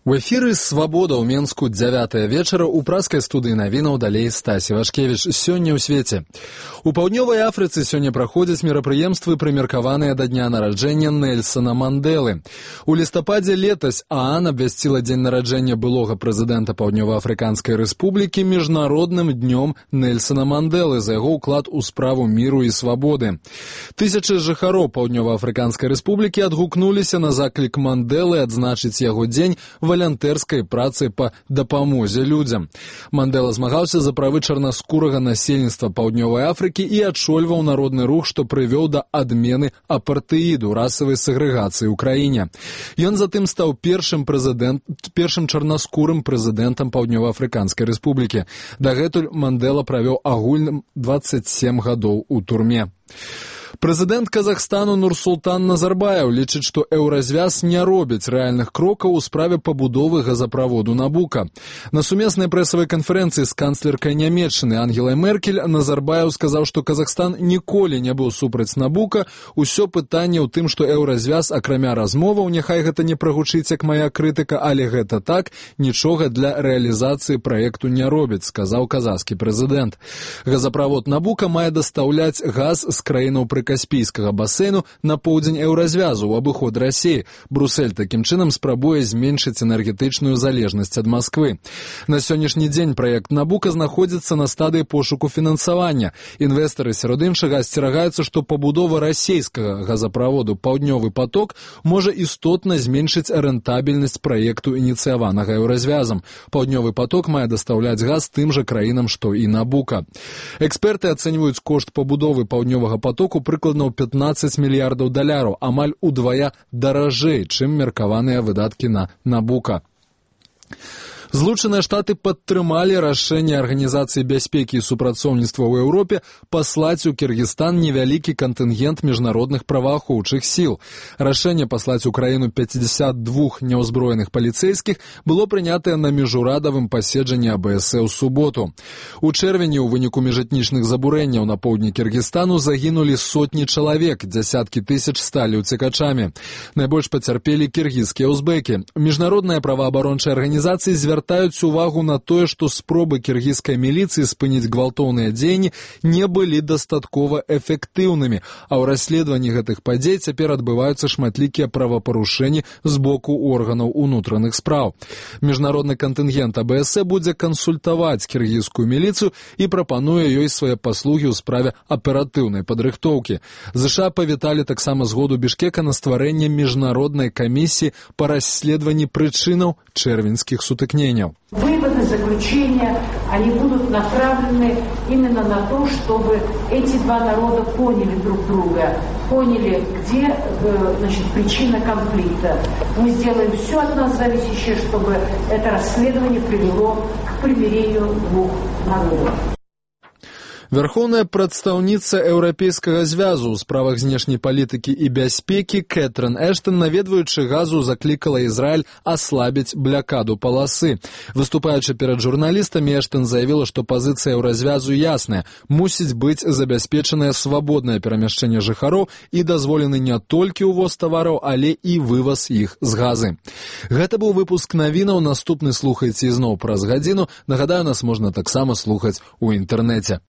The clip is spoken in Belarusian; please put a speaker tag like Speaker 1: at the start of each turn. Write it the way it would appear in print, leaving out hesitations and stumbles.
Speaker 1: У эфіры «Свабода» ў Менску 9 вечара ў праскай студыі навінаў далей Стасі Вашкевіч. Сёння ў свеце. У паўднёвай Афрыцы сёння праходзяць мерапрыемствы, прымеркаваныя да дня нараджэння Нельсона Мандэлы. У лістападзе летась ААН абвясціла дзень нараджэння былога прэзідэнта Паўднёва-Афрыканскай рэспублікі міжнародным днём Нельсона Мандэлы за яго ўклад у справу міру і свабоды. Тысячы жыхароў Паўднёва-Афрыканскай рэспублікі адгукнуліся на заклік Мандэлы адзначыць яго дзень валантэрскай працай па дапамозе людзям. Мандэла змагаўся за правы чарнаскурага насельніцтва Паўднёвай Афрыкі і адчольваў народны рух, што прывёў да адмены апартэіду, расавай сегрэгацыі ў краіне. Ён затым стаў першым чарнаскурым прэзідэнтам Паўднёва-Афрыканскай рэспублікі. Дагэтуль Мандэла правёў агульным 27 гадоў у турме. Прэзідэнт Казахстану Нурсултан Назарбаев лічыць, што еўразвяз не робіць рэальных крокаў у справе пабудовы газаправоду Набука. На сумеснай прэсавай канферэнцыі з канцлеркай Нямецчыны Ангелай Меркель Назарбаев сказаў, што Казахстан ніколі не быў супраць Набука. Усё пытанне ў тым, што еўразвяз, акрамя размоваў, няхай гэта не прагучыць як мая крытыка, але гэта так, нічога для рэалізацыі праекту не робіць, сказаў казахскі прэзідэнт. Газаправод Набука мае дастаўляць газ з краінаў Каспійскага басейну на поўдзень еўразвязу ў абыход Расіі. Брусэль такім чынам спрабуе зменшыць энергетычную залежнасць ад Масквы. На сённяшні дзень праект Набука знаходзіцца на стадыі пошуку фінансавання. Інвестары сярод іншага асцерагаюцца, што пабудова расійскага газаправоду «Паўднёвы поток» можа істотна зменшыць рэнтабельнасць праекту, ініцыяванага еўразвязам. «Паўднёвы поток» мае дастаўляць газ тым жа краінам, што і Набука. Эксперты ацэньваюць кошт пабудовы «Паўднёвага потоку» прыкладна ў 15 мільярдаў даляраў, амаль удвая даражэй, чым меркаваныя выдаткі на Набука. Злучаныя Штаты падтрымалі рашэнне Арганізацыі бяспекі і супрацоўніцтва ў Еўропе паслаць у Кіргізстан невялікі кантынгент міжнародных праваахоўчых сіл. Рашэнне паслаць у краіну 52 няўзброеных паліцэйскіх было прынятае на міжурадавым паседжанні АБС ў суботу. У чэрвені ў выніку міжэтнічных забурэнняў на поўдні Кіргізстану загінулі сотні чалавек, дзясяткі тысяч сталі ўцекачамі. Найбольш пацярпелі кіргізскія узбекі. Міжнародныя праваабарончыя арганізацыі звяртаюць увагу на тое, што спробы кіргізскай міліцыі спыніць гвалтоўныя дзеянні не былі дастаткова эфектыўнымі, а ў расследаванні гэтых падзей цяпер адбываюцца шматлікія правапарушэнні з боку органаў унутраных спраў. Міжнародны кантынгент АБС будзе кансультаваць кіргізскую міліцыю і прапануе ёй свае паслугі ў справе аператыўнай падрыхтоўкі. ЗША павіталі таксама згоду Бішкека на стварэнне міжнароднай камісіі па расследаванні прычынаў чэрвеньскіх сутыкненняў.
Speaker 2: Выводы, заключения, они будут направлены именно на то, чтобы эти два народа поняли друг друга, поняли, где причина конфликта. Мы сделаем все от нас зависящее, чтобы это расследование привело к примирению двух народов.
Speaker 1: Верховная прадстаўніца Еўрапейскага звязу ў справах знешняй палітыкі і бяспекі Кэтрын Эштон, наведваючы Газу, заклікала Ізраіль аслабіць блякаду паласы. Выступаючы перад журналістамі, Эштон заявіла, што пазіцыя еўразвязу ясная. Мусіць быць забяспечанае свабоднае перамяшчэнне жыхароў і дазволены не толькі ўвоз тавараў, але і вываз іх з Газы. Гэта быў выпуск навінаў. Наступны слухайце ізноў праз гадзіну. Нагадаю, нас можна таксама слухаць у інтэрнэце.